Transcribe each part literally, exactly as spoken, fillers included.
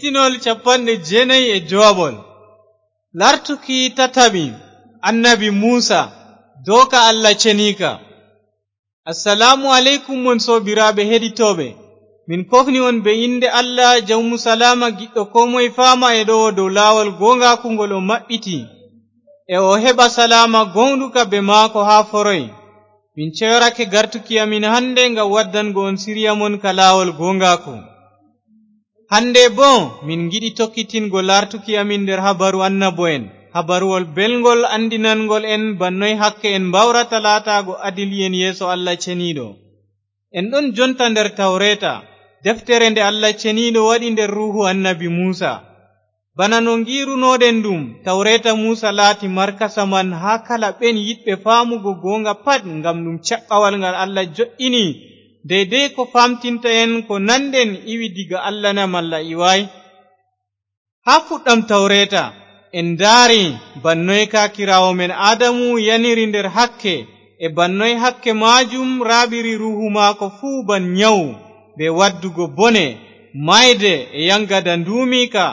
Pinol capanɗe jeenayi e jowaɓol. Lartuki tataɓi, Annabi Muusa, dooka Alla ceniika. Assalaamu aleykum, mon soobiraaɓe heɗitooɓe. Min kofni on be innde Alla, Jawmu Salaama, giɗɗo koo moye faama e ɗowo dow laawol gooŋgaaku ngol o maɓɓiti. E o heɓa salaama gooŋɗuka be maako haa foroy. Min ceyorake gartuki amin hande ngam waddango on siriya mon ka laawol gooŋgaaku. Hande boo, min ngiɗi tokkitingo lartuki amin nder habaru annabo'en, habaruwol belŋgol andinanŋgol en ba noy hakke en mbawrata laataago adili'en yeeso Alla Ceniiɗo. En ɗon jonta nder Tawreeta, deftere nde Alla Ceniiɗo waɗi nder ruuhu annabi Muusa. Bana no ngiirunoɗen ɗum, Tawreeta Muusa laati markasa man haa kala ɓen yiɗɓe faamugo gooŋga pat, ngam ɗum caɓɓawal ngal Alla jo'ini, deydey ko faamtinta en ko nanɗen iwi diga Alla na malla iwaay. Haa fuɗɗam Tawreeta, en ndaari ba noy kaakiraawo men Aadamu yaniri nder hakke, e ba noy hakke maajum raaɓiri ruuhu maako fuu ban nyawu, be waddugo bone, mayde e yaŋgada nduumiika,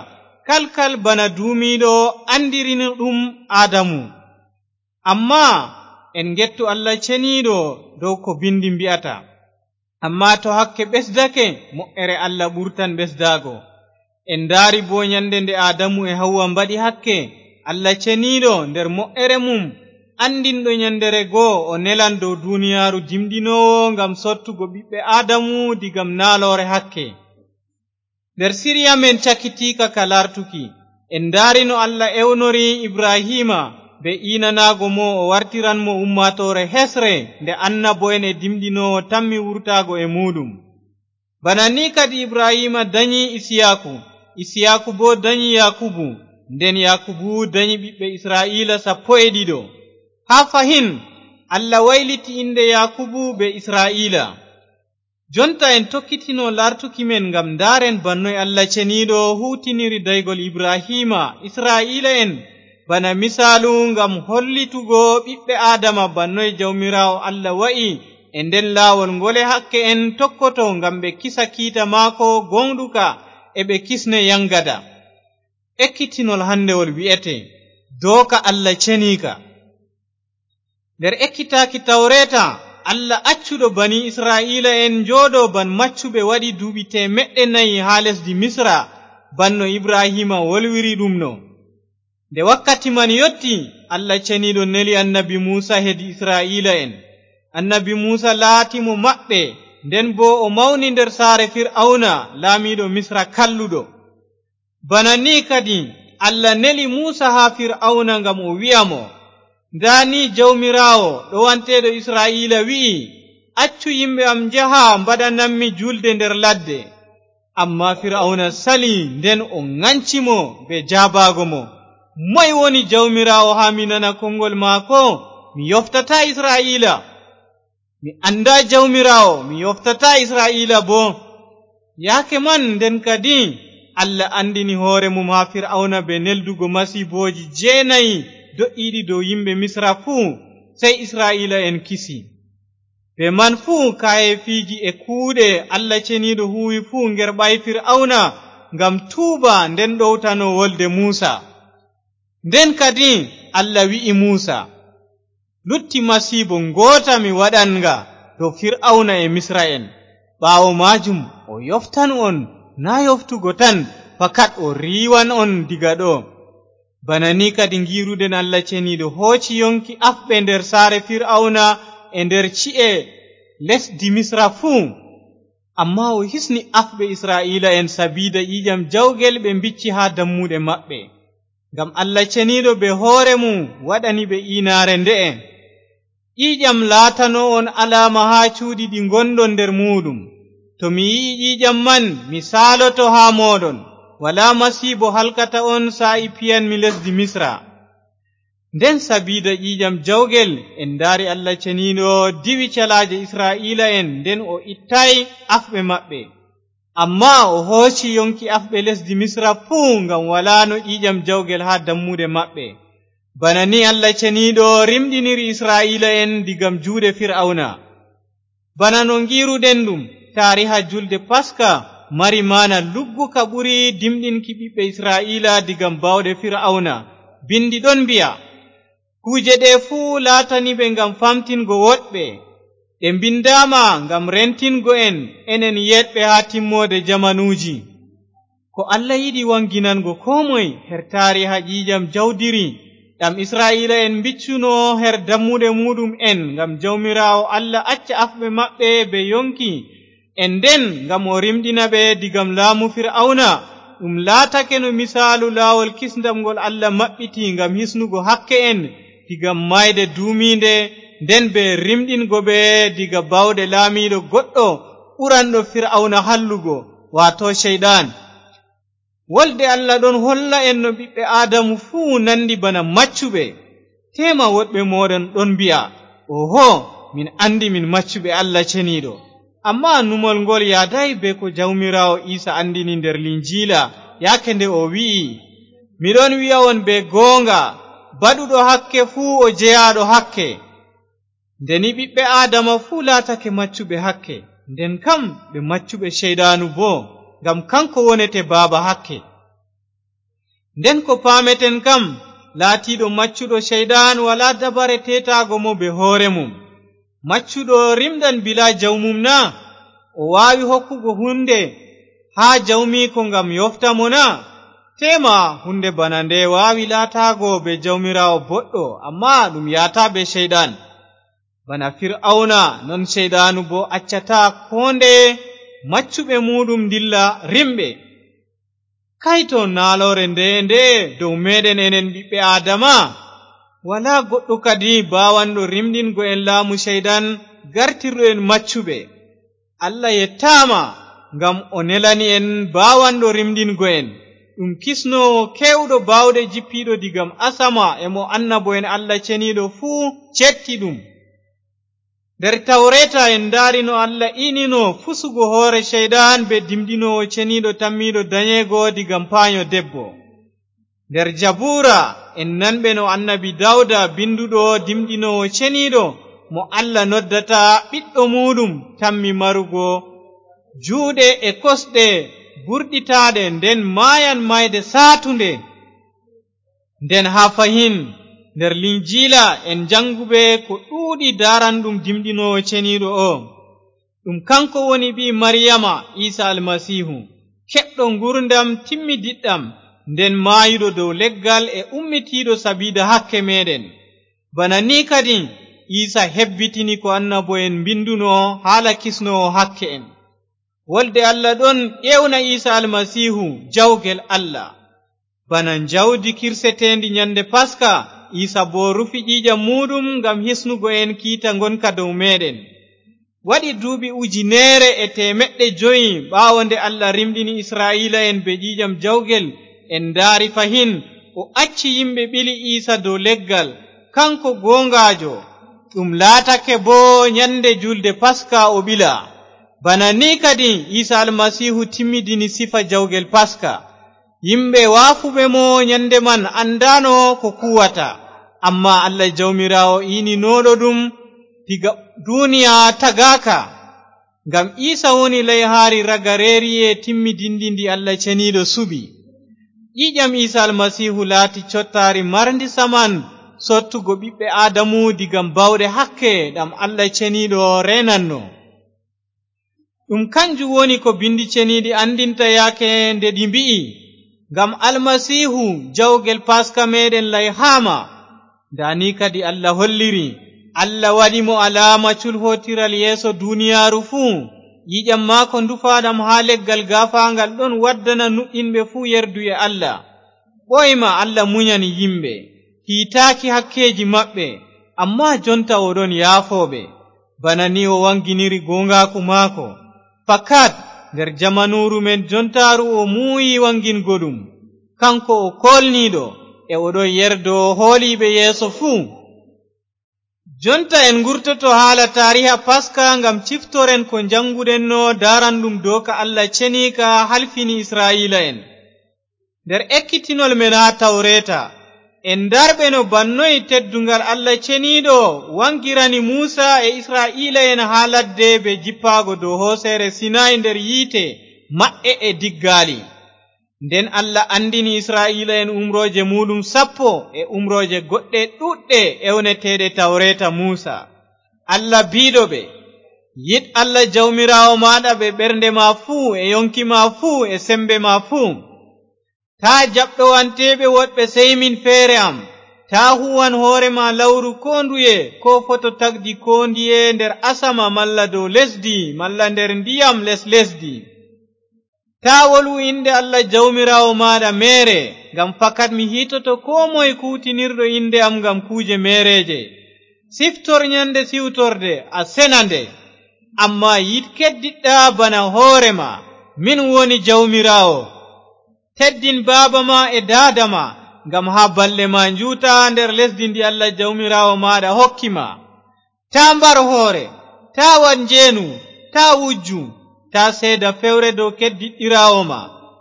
kalkal bana duumiiɗo andirino ɗum Aadamu. Ammaa en ngettu Alla Ceniiɗo dow ko bindi mbi'ata. Ammaa to hakke ɓesdake, mo'ere Alla ɓurtan ɓesdaago. En ndaari boo nyande nde Aadamu e Hawwa mbaɗi hakke, Alla Ceniiɗo nder mo'ere mum, andinɗo nyandere go o nelan dow duniyaaru dimɗinoowo ngam sottugo ɓiɓɓe Aadamu digam naaloore hakke. Nder siriya men cakitiika ka lartuki, en ndaari no Alla ewnori Ibrahiima be iinanaago mo o wartiran mo ummaatoore hesre nde annabo'en e dimɗinoowo tammi wurtaago e muuɗum. Bana ni kadi Ibrahiima danyi Isiyaaku, Isiyaaku boo danyi Yaakubu, nden Yaakubu danyi ɓiɓɓe Isra'iila sappo e ɗiɗo. Haa fahin, Alla wayliti innde Yaakubu be Isra'iila. Jonta en tokkitino lartuki men ngam ndaaren ba noy Alla Ceniiɗo huutiniri daygol Ibrahiima, Isra'iila'en, bana misaalu ngam hollitugo ɓiɓɓe Aadama ba noy Jawmiraawo Alla wa'i e nden laawol ngole hakke en tokkoto ngam ɓe kisa kiita maako gooŋɗuka e ɓe kisne yaŋgada. Ekkitinol handewol wi'ete, dooka Alla Ceniika. Nder ekkitaaki Tawreeta, Alla accuɗo bani Isra'iila'en njooɗo ban maccuɓe waɗi duuɓi teemeɗɗe nayi haa lesdi Misra, ban no Ibrahiima wolwiri ɗum no. Nde wakkati man yotti, Alla Ceniiɗo neli annabi Muusa hedi Isra'iila'en. Annabi Muusa laati mo maɓɓe, nden boo o mawni nder saare Fir'awna, laamiiɗo Misra kalluɗo. Bana ni kadi, Alla neli Muusa haa Fir'awna ngam o wi'a mo, ndaa ni Jawmiraawo, ɗowanteeɗo Isra'iila wi'i, accu yimɓe am njaha mbaɗanammi julde nder ladde. Ammaa Fir'awna sali, nden o ŋanci mo be jaabaago mo, moy woni Jawmiraawo haa mi nana koŋgol maako? Mi yoftataa Isra'iila. Mi anndaa Jawmiraawo, mi yoftataa Isra'iila boo. Yaake man nden kadi, Alla anndini hoore mum haa Fir'awna bee neldugo masiibooji jeenayi do'iiɗi dow yimɓe Misra fuu, sey Isra'iila'en kisi. Bee man fuu, kaayeefiiji e kuuɗe Alla Ceniiɗo huuwi fuu ngerɓaay Fir'awna ngam tuuba, nden ɗowtano wolde Muusa. Nden kadi, Alla wi'i Muusa, lutti masiibo ngoota mi waɗan nga dow Fir'awna e Misra'en. Ɓaawo maajum o yoftan on, naa yoftugo tan, fakat o riiwan on diga ɗo. Bana ni kadi ngiiruɗen Alla Ceniiɗo hooci yonki afɓe nder saare Fir'awna e nder ci'e lesdi Misra fuu. Ammaa o hisni afɓe Isra'iila'en sabiida ƴiiƴam jawgel ɓe mbicci haa dammuɗe maɓɓe. Ngam Alla Ceniiɗo bee hoore mum waɗani ɓe iinaare nde'e, ƴiiƴam laatano on alaama haa cuuɗi ɗi ngonɗon nder muuɗum. To mi yi'i ƴiiƴam man, mi saaloto haa mooɗon. Walaa masiibo halkata on saa'i piyanmi lesdi Misra. Nden sabiida ƴiiƴam jawgel, en ndaari Alla Ceniiɗo diwi calaaje Isra'iila'en, nden o ittaay afɓe maɓɓe. Ammaa o hooci yonki afɓe lesdi Misra fuu, ngam walaano ƴiiƴam jawgel haa dammuɗe maɓɓe. Bana ni Alla Ceniiɗo rimɗiniri Isra'iila'en digam juuɗe Fir'awna. Bana no ngiiruɗen ɗum, taariha julde Paska mari maana lugguka ɓuri dimɗinki ɓiɓɓe Israa'iila digam baawɗe Fir'awna. Binndi ɗon mbi'a, "Kuuje ɗe fuu laatani ɓe ngam famtingo woɗɓe. Ɗe mbinndaama ngam rentingo en, enen yeeɗɓe haa timmoode jamanuuji." Ko Allah yiɗi waŋginango koo moy her taariha ƴiiƴam jawdiri, ɗam Isra'iila'en mbiccuno her dammuɗe muuɗum'en, ngam Jawmiraawo Allah acca afɓe maɓɓe bee yoŋki, e nden ngam o rimɗina ɓe digam laamu Fir'awna, ɗum laatake no misaalu laawol kisndam ngol Allah maɓɓiti ngam hisnugo hakke'en digam maayde duumiinde, nden bee rimɗingo ɓe diga baawɗe laamiiɗo goɗɗo ɓuranɗo Fir'awna hallugo, waato Ceyɗan. Wolde Allah ɗon holla en no ɓiɓɓe Aadamu fuu nandi bana maccuɓe. Teema woɗɓe mooɗon ɗon mbi'a, "Oho, min andi min maccuɓe Allah Ceniiɗo." Ammaa numol ngol yaadaay bee ko Jawmiraawo Iisa andini nder Linjiila, yaake nde o wi'i, "Mi ɗon wi'a on bee gooŋga, baɗuɗo hakke fuu o jeyaaɗo hakke." Nde ni ɓiɓɓe Aadama fuu laatake maccuɓe hakke, nden kam ɓe maccuɓe Ceyɗaanu boo, ngam kaŋko wonete baaba hakke. Nden ko paameten kam, laatiiɗo maccuɗo Ceyɗan walaa dabare teetaago mo bee hoore mum. Maccuɗo rimɗan bilaa jawmum na? O waawi hokkugo huunde haa jawmiiko ngam yoofta mo na? Teema huunde bana nde waawi laataago bee Jawmiraawo boɗɗo, ammaa ɗum yahata bee Ceyɗan. Bana Fir'awna, non Ceyɗaanu boo accataa koo ndeye maccuɓe muuɗum ndilla rimɓe. Kayto, naaloore ndeye nde dow meeɗen enen ɓiɓɓe Aadama! Walaa goɗɗo kadi baawanɗo rimɗingo en laamu Ceyɗan, gartirɗo en maccuɓe. Allah yettaama ngam o nelani en baawanɗo rimɗingo en. Ɗum kisnoowo keewɗo baawɗe jippiiɗo digam asama e mo annabo'en Allah Ceniiɗo fuu cetti ɗum. Nder Tawreeta en ndaari no Allah iinino fusugo hoore Ceyɗan bee dimɗinoowo ceniiɗo tammiiɗo danyeego digam paanyo debbo. Nder Jabuura, en nanɓe no annabi Dawda, binduɗo dimɗinoowo ceniiɗo, mo Allah noddata ɓiɗɗo muuɗum, tammi marugo juuɗe e kosɗe burɗitaaɗe, nden maayan maayde saatunde. Nden haa fahin, nder Linjiila en jannguɓe ko ɗuuɗi daaranɗum dimɗinoowo ceniiɗo o. Ɗum kanko woni ɓii Mariyama, Iisa Almasiihu, keɓɗo nguurndam timmidiɗɗam, nden maayuɗo dow leggal e ummitiiɗo sabiida hakke meeɗen. Bana nii kadin, Iisa hebbitini ko annabo'en mbinduno haala kisnoowo hakke'en. Wolde Allah ɗon ewna Iisa Almasiihu jawgel Allah. Bana njawdi kirseteendi nyande Paska, Iisa boo rufi ƴiiƴam muuɗum ngam hisnugo en kiita ngonka dow meeɗen. Waɗi duuɓi ujineere e teemeɗɗe jowi ɓaawo nde Allah rimɗini Isra'iila'en bee ƴiiƴam jawgel, en ndaari fahin o acci yimɓe ɓili Iisa dow leggal, kanko gooŋgaajo. Ɗum laatake boo nyande juulde Paska o ɓila. Bana nii kadin Iisa Almasiihu timmidini sifa jawgel Paska. Yimɓe waafuɓe mo nyande man anndaano ko kuwata, ammaa Allah Jawmiraawo iininooɗo ɗum diga duniya tagaaka. Ngam Iisa woni layhaari ragareeriye timmidinndi ndi Allah Ceniiɗo suɓi. Ƴiiƴam Iisa Almasiihu laati cottaari marndi saman sottugo ɓiɓɓe Aadamu digam baawɗe hakke ɗam Allah Ceniiɗo reenanno. Ɗum kanjum woni ko Binndi Ceniiɗi anndinta yaake nde ɗi mbi'i, "Ngam Almasiihu, jawgel Paska meeɗen layhaama." Ndaa ni kadi Allah holliri, Allah waɗi mo alaama culhootiral yeeso duniyaaru fuu. Ƴiiƴam maako ndufaaɗam haa leggal gaafaaŋgal ɗon waddana nuɗɗinɓe fuu yerduye Allah. Ɓooyma Allah munyani yimɓe, hiitaaki hakkeeji maɓɓe, ammaa jonta o ɗon yaafo ɓe. Bana ni o waŋginiri gooŋgaaku maako. Fakat, nder jamanuuru men jontaaru o muuyi waŋgingo ɗum. Kanko o koolniiɗo, e o ɗon yerdo hooliiɓe yeeso fuu. Jonta en ngurtoto haala taariha Paska ngam ciftoren ko njaŋnguɗenno daaranɗum dooka Allah ceniika halfini Isra'iila'en. Nder ekkitinol men haa Tawreeta, en ndarɓe no bannoy tedduŋgal Allah ceniiɗo waŋgirani Muusa e Isra'iila'en haa ladde bee jippaago dow hooseere Sinay nder yiite, maɓɓe e diggaali. Nden Allah anndini Isra'iila'en umrooje muuɗum sappo e umrooje goɗɗe ɗuuɗɗe ewneteeɗe Tawreeta Muusa. Allah biiɗo ɓe, "Yiɗ Allah Jawmiraawo maaɗa bee ɓernde ma fuu, e yonki ma fuu, e sembe ma fuu. Taa jaɓ ɗowanteeɓe woɗɓe sey min feere am. Taa huuwan hoore ma lawru koo nduye, koo foto tagdi koo ndiye nder asama malla dow lesdi malla nder ndiyam les lesdi. Taa wolwu innde Allah Jawmiraawo maaɗa meere, ngam fakat mi hiitoto koo moy kuuwtinirɗo innde am ngam kuuje meereeje. Siftor nyande siwtorde, a sena nde. Ammaa yiɗ keddiɗɗa bana hoore ma. Min woni Jawmiraawo. Teddin baaba ma e daada ma, ngam haa balɗe ma njuuta nder lesdi ndi Allah Jawmiraawo maaɗa hokki ma. Taa mbar hoore, taa waɗ njeenu, taa wujju, taa seeda fewre dow keddiɗɗiraawo ma,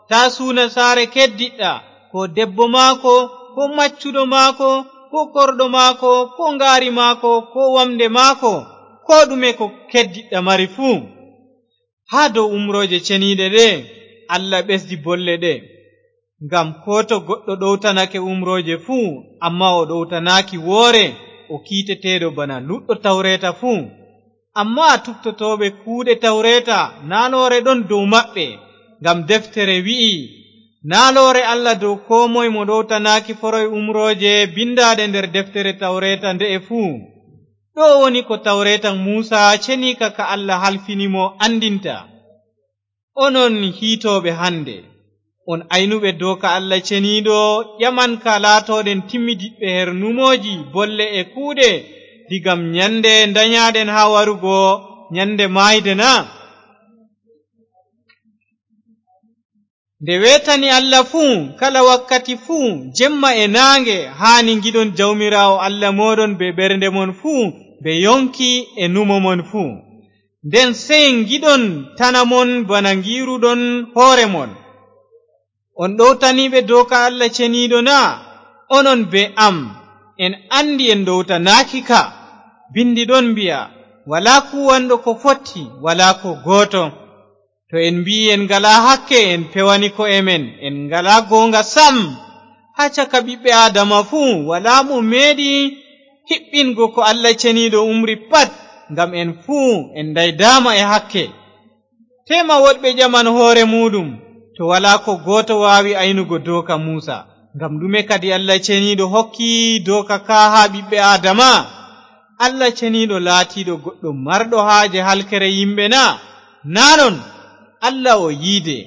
taa suuna saare keddiɗɗa, koo debbo maako, koo maccuɗo maako, koo korɗo maako, koo ngaari maako, koo wamnde maako, koo ɗume ko keddiɗɗa mari fuu." Haa dow umrooje ceniiɗe ɗe, Allah ɓesdi bolle ɗe. Ngam koo to goɗɗo ɗowtanake umrooje fuu, ammaa o ɗowtanaaki woore, o kiiteteeɗo bana luɗɗo tawreeta fuu. Ammaa tuftotooɓe kuuɗe tawreeta, naaloore ɗon dow maɓɓe, ngam deftere wi'i, "Naaloore Allah dow koo moy mo ɗowtanaaki foroy umrooje bindaaɗe nder deftere tawreeta nde'e fuu." Ɗo woni ko tawreeta Muusa ceniika ka Allah halfini mo anndinta. Onon hiitooɓe hannde, on aynuɓe dooka Allah ceniiɗo, ƴamanka laatooɗen timmidiɓɓe her numooji, bolle e kuuɗe, digam nyannde ndanyaaɗen haa warugo nyannde maayde na? Nde weetani Allah fuu, kala wakkati fuu, jemma e naange, haani ngiɗon Jawmiraawo Allah mooɗon bee ɓernde mon fuu, bee yonki e numo mon fuu. Nden sey ngiɗon tana mon bana ngi'ruɗon hoore mon. On ɗowtaniiɓe dooka Allah ceniiɗo na? Onon bee am, en anndi en ɗowtanaaki ka. Bindi ɗon mbi'a, "Walaa kuuwanɗo ko fotti, walaa ko gooto." To en mbi'i en ngalaa hakke, en pewani ko'e men, en ngalaa goonga sam. Haa caka ɓiɓɓe Aadama fuu, walaa mo meeɗi hiɓɓingo ko Allah ceniiɗo umri pat, ngam en fuu en ndaydaama e hakke. Teema woɗɓe ƴaman hoore muuɗum, to walaa ko gooto waawi aynugo dooka Muusa, ngam ɗume kadi Allah ceniiɗo hokki dooka ka haa ɓiɓɓe Aadama? Allah ceniiɗo laatiiɗo goɗɗo marɗo haaje halkere yimɓe na? Naa non, Allah o yiide,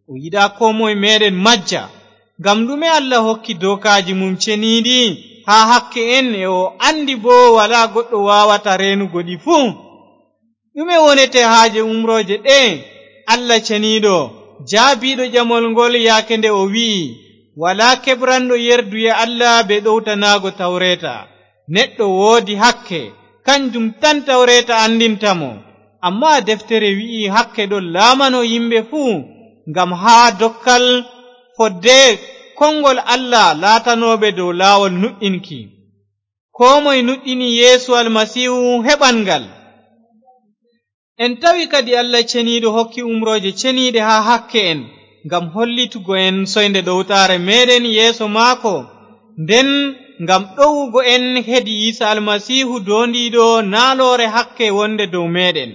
o yiɗaa koo moy meeɗen majja. Ngam ɗume Allah hokki dookaaji mum ceniiɗi haa hakke en, e o anndi boo walaa goɗɗo waawata reenugo ɗi fuu? Ɗume wonete haaje umrooje ɗe? Allah ceniiɗo, jaabiiɗo ƴamol ngol yaake nde o wi'i, "Walaa keɓranɗo yerduye Allah bee ɗowtanaago tawreeta." Neɗɗo woodi hakke, kanjum tan tawreeta anndinta mo. Ammaa deftere wi'i hakke ɗon laamano yimɓe fuu, ngam haa dokkal fodde konngol Allah laatanooɓe dow laawol nuɗɗinki. Koo moy nuɗɗini Yeesu Almasiihu heɓan ngal. En tawi kadi Allah ceniiɗo hokki umrooje ceniiɗe haa hakke en, ngam hollitugo en soynde ɗowtaare meeɗen yeeso maako. Nden ngam ɗowugo en hedi Iisa Almasiihu doondiiɗo naaloore hakke wonde dow meeɗen.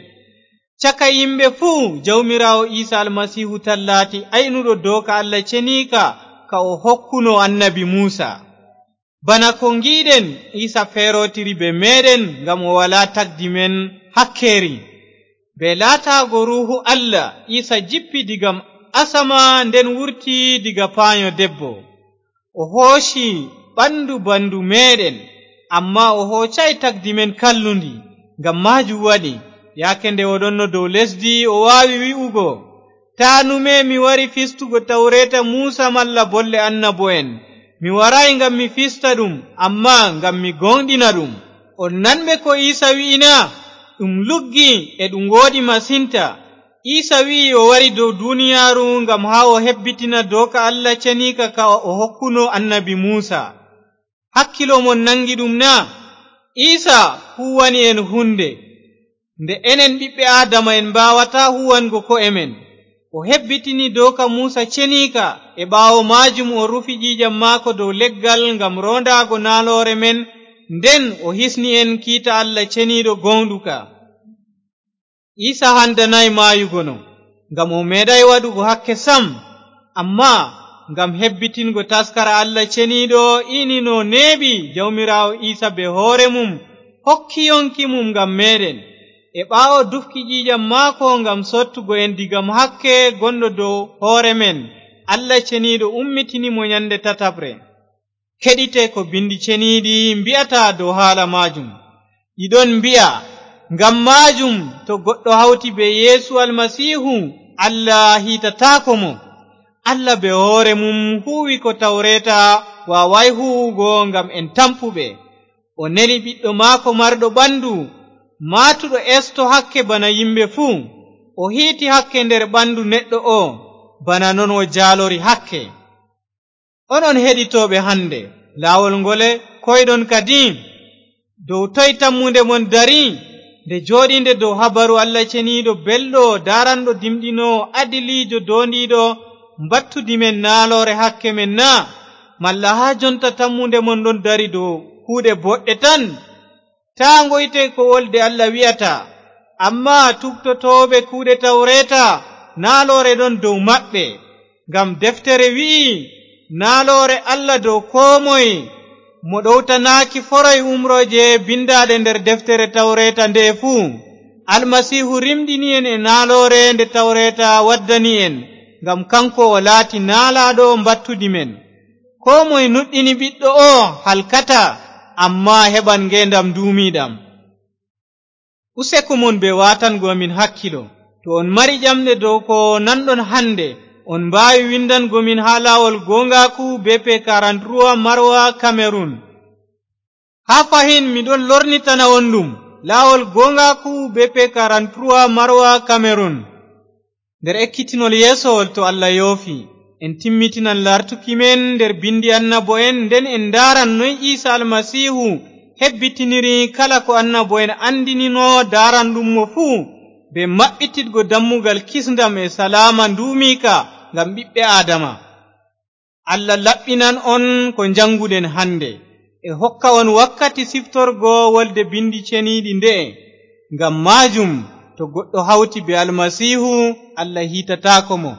Caka yimɓe fuu, Jawmiraawo Iisa Almasiihu tan laati aynuɗo dooka Allah ceniika ka o hokkuno annabi Muusa. Bana ko ngi'ɗen, Iisa feerotiri bee meeɗen ngam o walaa tagdi men hakkeeri. Bee laataago Ruuhu Allah, Iisa jippi diga asama, nden wurti diga paanyo debbo. O hooci ɓandu bandu meeɗen, ammaa o hoocaay tagdi men kallundi. Ngam maajum waɗi, yaake nde o ɗonno dow lesdi, o waawi wi'ugo, "Taa nume mi wari fistugo tawreeta Muusa malla bolle annabo'en. Mi waraay ngam mi fista ɗum, ammaa ngam mi gooŋɗina ɗum." On nanɓe ko Iisa wi'i na? Ɗum luggi e ɗum wooɗi masinta. Iisa wi'i o wari dow duniyaaru ngam haa o hebbitina dooka Allah ceniika ka o hokkuno annabi Muusa. Hakkilo mon naŋgi ɗum na? Iisa huuwani en huunde nde enen ɓiɓɓe Aadama en mbaawataa huuwango ko'e men. O hebbitini dooka Muusa ceniika, e ɓaawo maajum o rufi ƴiiƴam maako dow leggal ngam roondaago naaloore men, nden o hisni en kiita Allah Ceniiɗo gooŋɗuka. Iisa handanaay maayugo no, ngam o meeɗaay waɗugo hakke sam, ammaa ngam hebbitingo taskara Allah Ceniiɗo, iini no neeɓi, Jawmiraawo Iisa bee hoore mum hokki yonki mum ngam meeɗen. E ɓaawo dufki ƴiiƴam maako ngam sottugo en diga hakke gonɗo dow hoore men, Allah Ceniiɗo ummitini mo nyande tataɓre. Keɗite ko Binndi Ceniiɗi mbi'ata dow haala maajum. Ɗi ɗon mbi'a, ngam maajum, to goɗɗo hawti bee Yeesu Almasiihu, Allah hiitataako mo. Allah bee hoore mum huuwi ko Tawreeta waawaay huuwugo ngam en tampuɓe. O neli Ɓiɗɗo maako marɗo ɓandu, maatuɗo esto hakke bana yimɓe fuu. O hiiti hakke nder ɓandu neɗɗo oo, bana non o jaalori hakke. Onon heɗitooɓe hannde, laawol ngole koyɗon kadi? Dow toy tammunde mon dari? Nde jooɗiinde dow habaru Allah Ceniiɗo belɗo, daaranɗo dimɗinoowo, adiliijo, doondiiɗo, mbattudi men naaloore hakke men na? Malla haa jonta tammunde mon ɗon dari dow kuuɗe boɗɗe tan? Taa ngoyte ko wolde Allah wi'ata, ammaa tuktotooɓe kuuɗe Tawreeta, naaloore ɗon dow maɓɓe. Ngam deftere wi'i, naaloore Allah dow koo moy mo ɗowtanaaki foroy umrooje bindaaɗe nder deftere Tawreeta nde'e fuu. Almasiihu rimɗini en e naaloore nde Tawreeta waddani en, ngam kanko o laati naalaaɗo mbattudi men. Koo moy nuɗɗini Ɓiɗɗo oo halkataa, ammaa heɓan ngeendam nduumiiɗam. Useko mon bee waatango amin hakkilo. To on mari ƴamɗe dow ko nanɗon hannde, on mbaawi windango min haa laawol gooŋgaaku B P quarante-trois Maroua, Cameroun. Haa fahin mi ɗon lornitana on ɗum, laawol gooŋgaaku B P quarante-trois Maroua, Cameroun. Nder ekkitinol yeesowol, to Allah yoofi, en timmitinan lartuki men nder bindi annabo'en, nden en ndaaran noy Iisa Almasiihu hebbitiniri kala ko annabo'en anndinino daaranɗum mo fuu, bee maɓɓititgo dammugal kisndam e salaama nduumiika ngam ɓiɓɓe Aadama. Allah laɓɓinan on ko njaŋnguɗen hannde, e hokka on wakkati siftorgo wolde Binndi Ceniiɗi nde'e. Ngam maajum, to goɗɗo hawti bee Almasiihu, Allah hiitataako mo.